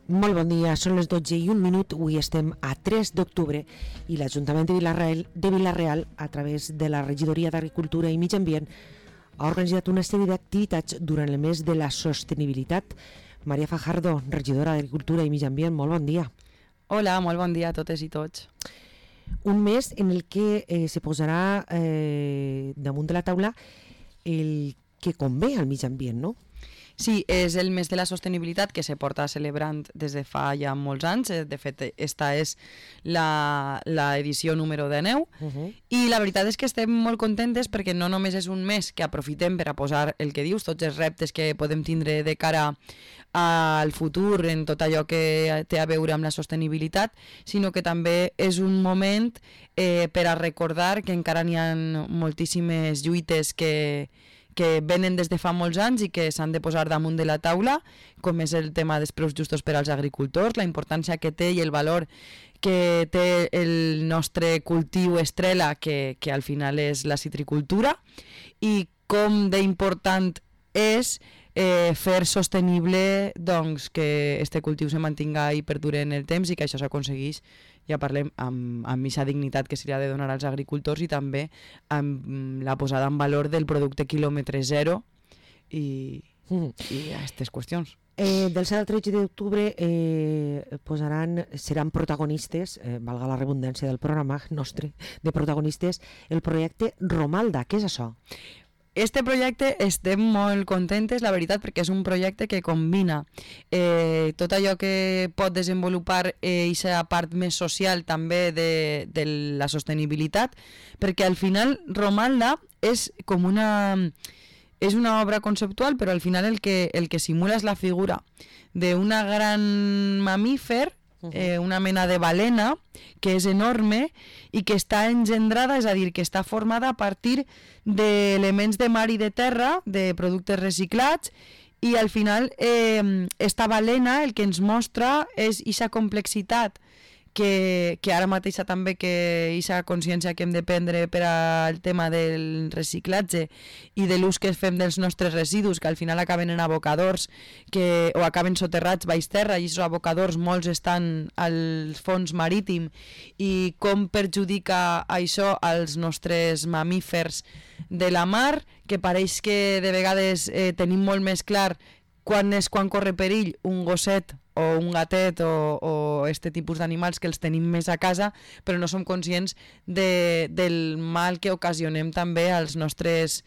Molt bon dia, són les 12:01. Avui estem a 3 d'octubre i l'Ajuntament de Vila-real, a través de la Regidoria d'Agricultura i Mig Ambient, ha organitzat una sèrie d'activitats durant el mes de la sostenibilitat. Maria Fajardo, regidora d'Agricultura i Mig Ambient, molt bon dia. Hola, molt bon dia a totes i tots. Un mes en el que se posarà damunt de la taula el que convé al mig ambient, no? Sí, és el mes de la sostenibilitat que se porta celebrant des de fa ja molts anys. De fet, esta és l'edició número 19 i la veritat és que estem molt contentes perquè no només és un mes que aprofitem per a posar el que dius, tots els reptes que podem tindre de cara al futur en tot allò que té a veure amb la sostenibilitat, sinó que també és un moment per a recordar que encara n'hi ha moltíssimes lluites que venen des de fa molts anys i que s'han de posar damunt de la taula, com és el tema dels preus justos per als agricultors, la importància que té i el valor que té el nostre cultiu estrella, que al final és la citricultura, i com d'important és fer sostenible doncs, que este cultiu se mantinga i perdure en el temps i que això s'aconsegueix, ja parlem, amb aquesta dignitat que s'ha de donar als agricultors i també amb la posada en valor del producte quilòmetre zero i aquestes qüestions. Del 7 al 13 d'octubre seran protagonistes, valga la redundància del programa nostre, de protagonistes, el projecte Romalda. Què és això? Este projecte estem molt contentes, la veritat, perquè és un projecte que combina tot allò que pot desenvolupar aquesta part més social també de la sostenibilitat, perquè al final Romalda és com és una obra conceptual, però al final el que simula és la figura d'una gran mamífer, una mena de balena que és enorme i que està engendrada, és a dir, que està formada a partir d'elements de mar i de terra, de productes reciclats, i al final esta balena el que ens mostra és aquesta complexitat que ara mateixa també que aquesta consciència que hem de prendre per al tema del reciclatge i de l'ús que fem dels nostres residus, que al final acaben en abocadors o acaben soterrats baix terra, i aquests abocadors molts estan al fons marítim, i com perjudica això als nostres mamífers de la mar, que pareix que de vegades tenim molt més clar quan corre perill un gosset o un gatet o este tipus d'animals que els tenim més a casa, però no som conscients del mal que ocasionem també als nostres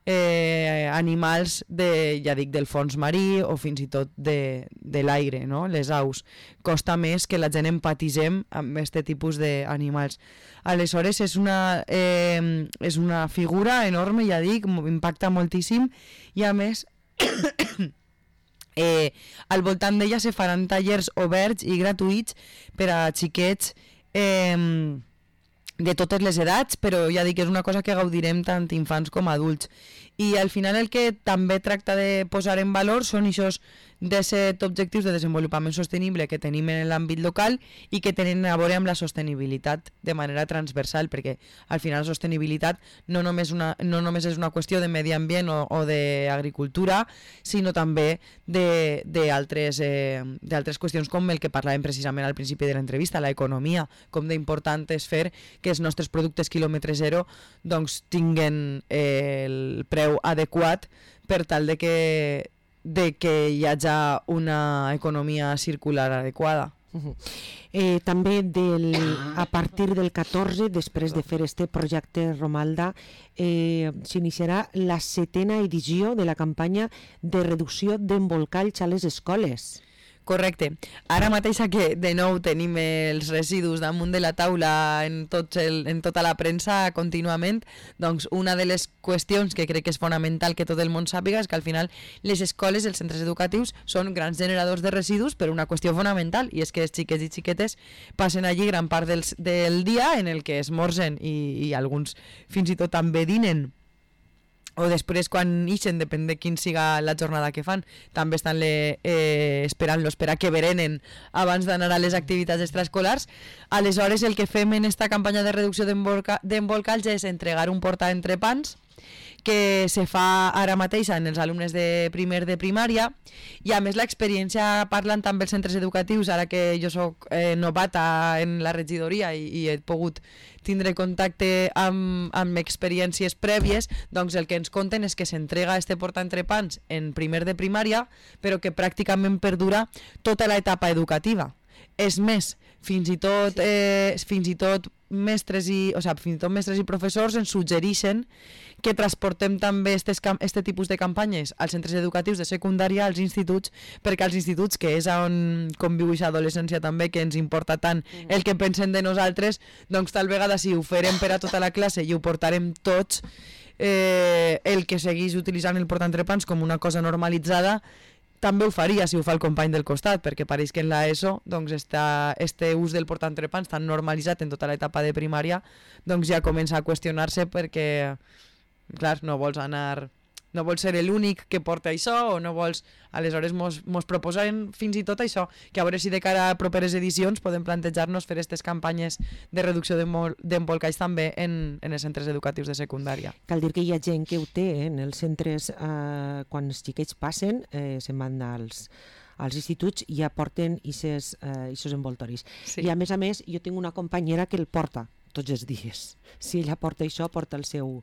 animals del fons marí o fins i tot de l'aire, no? Les aus. Costa més que la gent empatitzem amb aquest tipus d'animals. Aleshores és una figura enorme, ja dic, impacta moltíssim, i a més al voltant d'ella se faran tallers oberts i gratuïts per a xiquets de totes les edats, però ja dic que és una cosa que gaudirem tant infants com adults. I al final el que també tracta de posar en valor són aquests 17 objectius de desenvolupament sostenible que tenim en l'àmbit local i que tenen a veure amb la sostenibilitat de manera transversal, perquè al final la sostenibilitat no només és una qüestió de medi ambient o d'agricultura, sinó també d'altres qüestions com el que parlàvem precisament al principi de l'entrevista, l'economia, com d'important és fer que els nostres productes quilòmetre zero doncs tinguen el preu adequat per tal de que hi hagi una economia circular adequada. També a partir del 14, després de fer este projecte Romalda, s'iniciarà la 7a edició de la campanya de reducció d'embolcalls a les escoles. Correcte. Ara mateixa que de nou tenim els residus damunt de la taula en tota la premsa contínuament, doncs una de les qüestions que crec que és fonamental que tot el món sàpiga és que al final les escoles, els centres educatius, són grans generadors de residus per una qüestió fonamental, i és que els xiquets i xiquetes passen allí gran part del dia en el que esmorzen i alguns fins i tot també dinen, o després quan ixen, depèn de quin siga la jornada que fan, també estan esperant-los per a que berenen abans d'anar a les activitats extraescolars. Aleshores el que fem en esta campanya de reducció d'embolcalls és entregar un portaentrepans que se fa ara mateix en els alumnes de primer de primària, i a més l'experiència, parlant també els centres educatius, ara que jo soc novata en la regidoria i he pogut tindre contacte amb experiències prèvies, doncs el que ens conten és que s'entrega este portaentrepans en primer de primària, però que pràcticament perdura tota l'etapa educativa. És més, fins i tot mestres i professors ens suggereixen que transportem també este tipus de campanyes als centres educatius de secundària, als instituts, perquè als instituts, que és on conviu aquesta adolescència també, que ens importa tant el que pensen de nosaltres, doncs tal vegada si ho farem per a tota la classe i ho portarem tots, el que segueix utilitzant el portaentrepans com una cosa normalitzada també ho faria si ho fa el company del costat, perquè pareix que en l'ESO doncs este ús del portaentrepans tan normalitzat en tota l'etapa de primària doncs ja comença a qüestionar-se perquè, clar, no vols ser l'únic que porta això o no vols... Aleshores mos proposen fins i tot això, que a veure si de cara a properes edicions podem plantejar-nos fer aquestes campanyes de reducció d'embolcalls també en els centres educatius de secundària. Cal dir que hi ha gent que ho té en els centres, quan els xiquets passen, se'n van als instituts i ja porten aquests envoltoris. Sí. I a més, jo tinc una companyera que el porta tots els dies. Si ella porta això, porta el seu...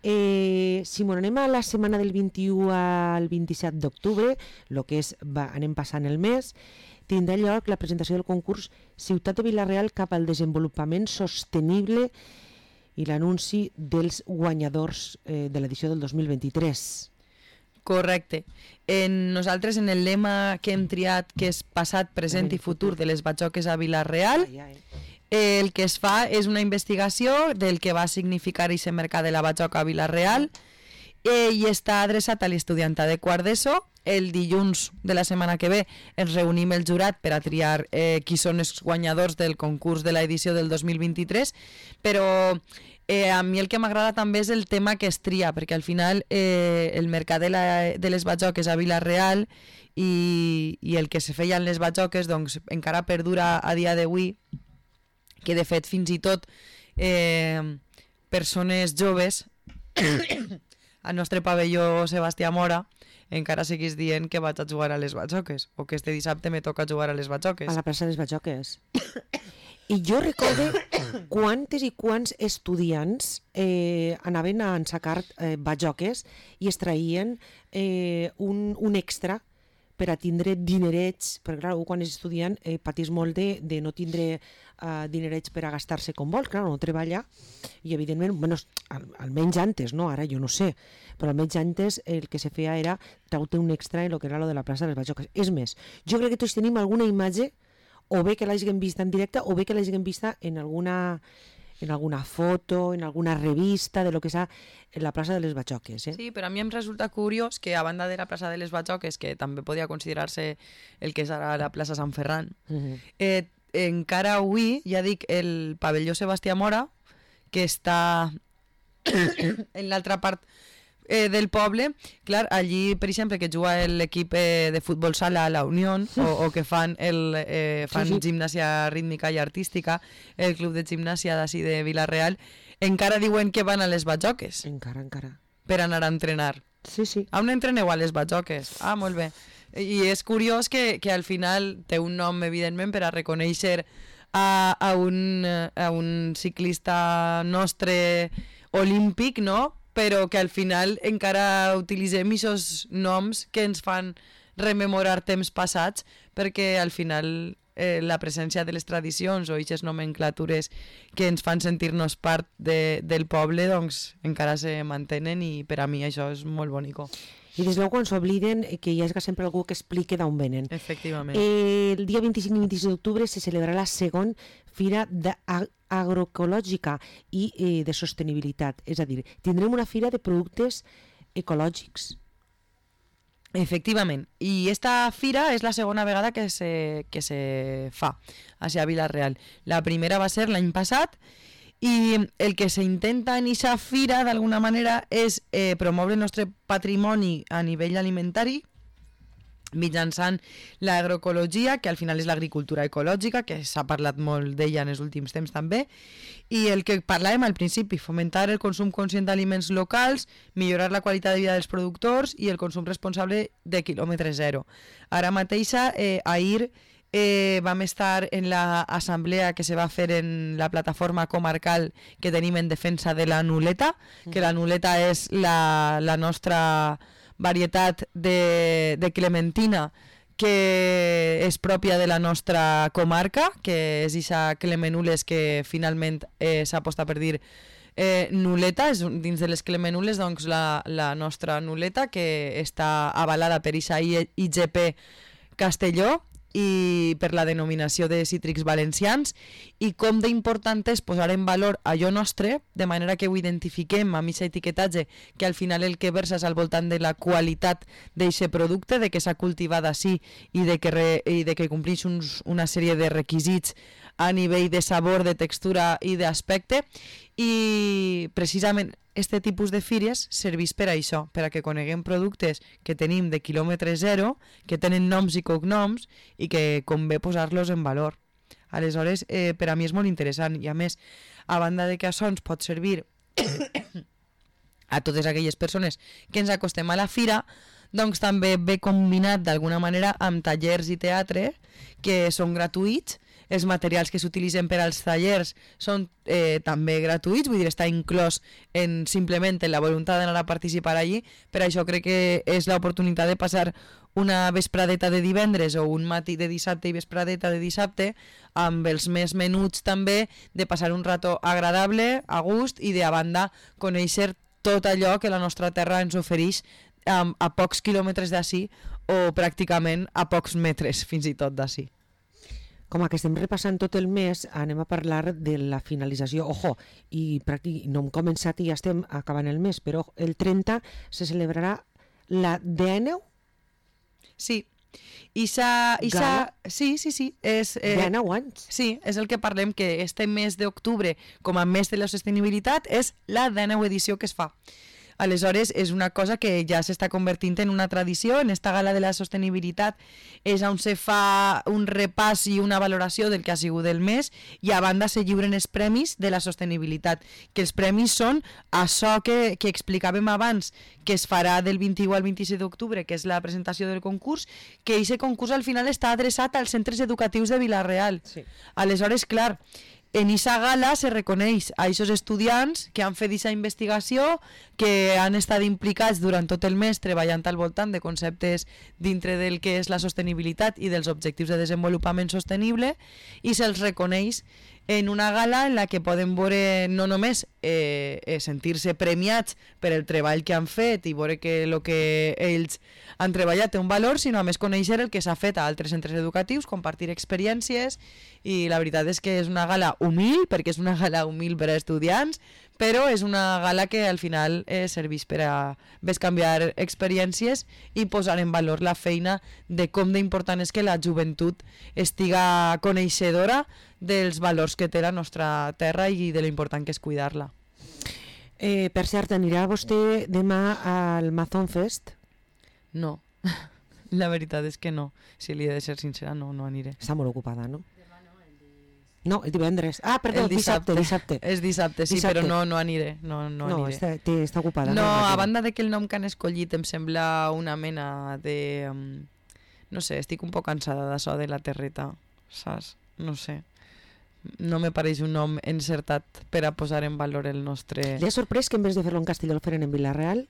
Si anem a la setmana del 21 al 27 d'octubre, el que és, anem passant el mes, tindrà lloc la presentació del concurs Ciutat de Vila-real cap al desenvolupament sostenible i l'anunci dels guanyadors de l'edició del 2023. Correcte. Nosaltres en el lema que hem triat, que és passat, present i futur de les batxoques a Vila-real, el que es fa és una investigació del que va significar aquest mercat de la batxoca a Vila-real i està adreçat a l'estudiantat de quart d'ESO. El dilluns de la setmana que ve ens reunim el jurat per a triar qui són els guanyadors del concurs de l'edició del 2023, però a mi el que m'agrada també és el tema que es tria, perquè al final el mercat de les batxoques a Vila-real i el que se feia en les batxoques doncs encara perdura a dia d'avui, que de fet fins i tot persones joves al nostre pavelló Sebastià Mora encara seguís dient que vaig a jugar a les batxoques o que este dissabte me toca jugar a les batxoques. A la plaça de les batxoques. I jo recordo quantes i quants estudiants anaven a ensacar batxoques i es traien un extra per a tindre dinerets, perquè clar, quan és estudiant patís molt de no tindre dinerets per a gastar-se com vol, clar, no treballa, i evidentment, bueno, almenys antes, no? Ara jo no sé, però almenys antes el que se feia era traure un extra en el que era lo de la plaça de les batxoques. És més, jo crec que tots tenim alguna imatge, o bé que l'hagin vista en directe, o bé que l'hagin vista en alguna foto, en alguna revista de lo que és la plaça de les batxoques. Sí, però a mi em resulta curiós que a banda de la plaça de les batxoques, que també podia considerar-se el que és ara la plaça Sant Ferran, encara avui, ja dic, el pavelló Sebastià Mora, que està en l'altra part del poble, clar, allí, per exemple, que juga l'equip de futbol sala a la Unió o que fan gimnàsia rítmica i artística, el club de gimnàsia d'ací de Vila-real, encara diuen que van a les batxoques. Encara. Per anar a entrenar. Sí. On entreneu a les batxoques? Ah, molt bé. I és curiós que al final té un nom, evidentment, per a reconèixer a un ciclista nostre olímpic, no?, però que al final encara utilitzem aquests noms que ens fan rememorar temps passats, perquè al final la presència de les tradicions o aquestes nomenclatures que ens fan sentir-nos part del poble doncs encara se mantenen, i per a mi això és molt bonico. I des de quan s'obliden que hi hagi sempre algú que expliqui d'on venen. Efectivament. El dia 25 i 26 d'octubre se celebrarà la segona Fira Agroecològica i de Sostenibilitat. És a dir, tindrem una fira de productes ecològics. Efectivament. I esta fira és la segona vegada que se fa a Vila-real. La primera va ser l'any passat, i el que s'intenta en aquesta fira d'alguna manera és promoure el nostre patrimoni a nivell alimentari mitjançant l'agroecologia, que al final és l'agricultura ecològica, que s'ha parlat molt d'ella en els últims temps també, i el que parlàvem al principi, fomentar el consum conscient d'aliments locals, millorar la qualitat de vida dels productors i el consum responsable de quilòmetre zero. Ara mateixa, ahir vam estar en l'assemblea que se va fer en la plataforma comarcal que tenim en defensa de la nuleta, que la nuleta és la nostra varietat de clementina que és pròpia de la nostra comarca, que és ixa clemenules que finalment s'aposta per dir nuleta, és dins de les clemenules doncs la nostra nuleta, que està avalada per ixa IGP Castelló i per la denominació de cítrics valencians, i com d'important és posar en valor allò nostre, de manera que ho identifiquem amb aquest etiquetatge, que al final el que versa és al voltant de la qualitat d'aquest producte, de que s'ha cultivat així i de que compleix una sèrie de requisits a nivell de sabor, de textura i d'aspecte, i precisament este tipus de fires serveix per a això, per a que coneguem productes que tenim de quilòmetre zero, que tenen noms i cognoms i que convé posar-los en valor. Aleshores, per a mi és molt interessant, i a més, a banda de que això ens pot servir a totes aquelles persones que ens acostem a la fira, doncs també ve combinat d'alguna manera amb tallers i teatre que són gratuïts. Els materials que s'utilitzen per als tallers són també gratuïts, vull dir, està inclòs simplement en la voluntat d'anar a participar allí. Per això crec que és l'oportunitat de passar una vespradeta de divendres o un matí de dissabte i vespradeta de dissabte amb els més menuts també, de passar un rato agradable, a gust, i de a banda conèixer tot allò que la nostra terra ens ofereix a pocs quilòmetres d'ací o pràcticament a pocs metres fins i tot d'ací. Com que estem repassant tot el mes, anem a parlar de la finalització. Ojo, i no hem començat i ja estem acabant el mes, però el 30 se celebrarà la 19? Sí. Sí. És, 19 anys? Sí, és el que parlem, que este mes d'octubre, com a mes de la sostenibilitat, és la 19 edició que es fa. Aleshores, és una cosa que ja s'està convertint en una tradició. En esta gala de la sostenibilitat és on se fa un repàs i una valoració del que ha sigut el mes, i a banda se lliuren els premis de la sostenibilitat, que els premis són això que explicàvem abans, que es farà del 21 al 26 d'octubre, que és la presentació del concurs, que aquest concurs al final està adreçat als centres educatius de Vila-real. Sí. Aleshores, clar, en aquesta gala se reconeix a aquests estudiants que han fet aquesta investigació, que han estat implicats durant tot el mes treballant al voltant de conceptes dintre del que és la sostenibilitat i dels objectius de desenvolupament sostenible, i se'ls reconeix en una gala en la que poden veure no només sentir-se premiats per el treball que han fet i veure que el que ells han treballat té un valor, sinó a més conèixer el que s'ha fet a altres centres educatius, compartir experiències, i la veritat és que és una gala humil, perquè és una gala humil per a estudiants, però és una gala que al final serveix per a bescanviar experiències i posar en valor la feina de com d'important és que la joventut estiga coneixedora dels valors que té la nostra terra i de l'important que és cuidar-la. Per cert, anirà vostè demà al Mazón Fest? No, la veritat és que no. Si li he de ser sincera, no aniré. Està molt ocupada, no? No, el divendres. Ah, perdó, dissabte. És dissabte, sí, però no aniré. No aniré. Està ocupada. No, a banda de que el nom que han escollit em sembla una mena de... No sé, estic un poc cansada d'això de la terreta, saps? No sé. No me pareix un nom encertat per a posar en valor el nostre... Li ha sorprès que en vez de fer-lo en Castelló el feren en Vila-real?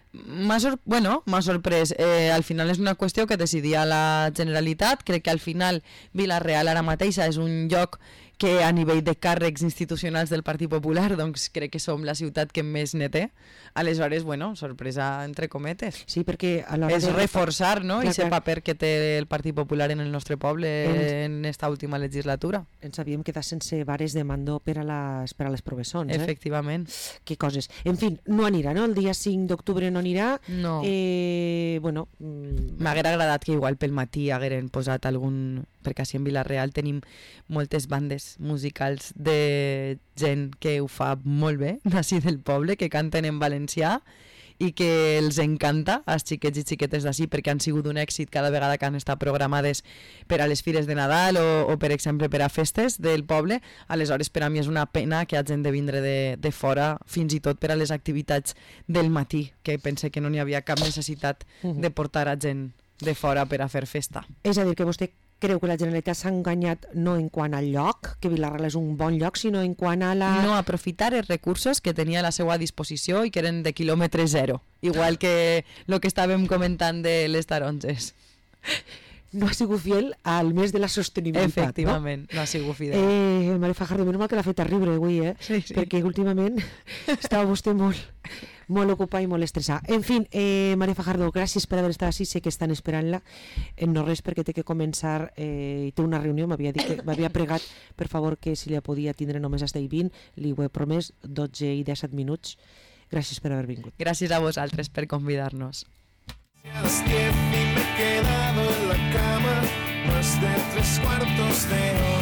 M'ha sorprès. Al final és una qüestió que decidia la Generalitat. Crec que al final Vila-real ara mateixa és un lloc que a nivell de càrrecs institucionals del Partit Popular, doncs crec que som la ciutat que més ne té. Aleshores, bueno, sorpresa entre cometes. Sí, perquè a l'hora és reforçar, no?, aquest paper que té el Partit Popular en el nostre poble en esta última legislatura. Ens havíem quedat sense vares de mandó per a les professons. Efectivament. Que coses. En fi, no anirà, no? El dia 5 d'octubre no anirà. No. Bueno... M'haguera agradat que igual pel matí hagueren posat algun... Perquè així en Vila-real tenim moltes bandes musicals de gent que ho fa molt bé, d'ací del poble, que canten en valencià, i que els encanta als xiquets i xiquetes d'ací perquè han sigut un èxit cada vegada que han estat programades per a les fires de Nadal o per exemple per a festes del poble. Aleshores per a mi és una pena que hagin de vindre de fora, fins i tot per a les activitats del matí, que pense que no n'hi havia cap necessitat de portar a gent de fora per a fer festa. És a dir, que vostè creu que la Generalitat s'ha enganyat no en quant al lloc, que Vila-real és un bon lloc, sinó en quant a la... No aprofitar els recursos que tenia a la seva disposició i que eren de quilòmetre zero, igual que el que estàvem comentant de les taronges. No ha sigut fiel al mes de la sostenibilitat. Efectivament, no ha sigut fidel. Maria Fajardo, menys mal que l'ha fet terrible avui, Sí, sí. perquè últimament estava vostè molt ocupada i molt estressada. En fi, Maria Fajardo, gràcies per haver estat així, sé que estan esperant-la, no res perquè té que començar, té una reunió, m'havia pregat, per favor, que si la podia tindre només hasta i 20, li ho he promès, 12 i 17 minuts. Gràcies per haver vingut. Gràcies a vosaltres per convidar-nos. A las 10 y me he quedado en la cama más de 3/4 de hora.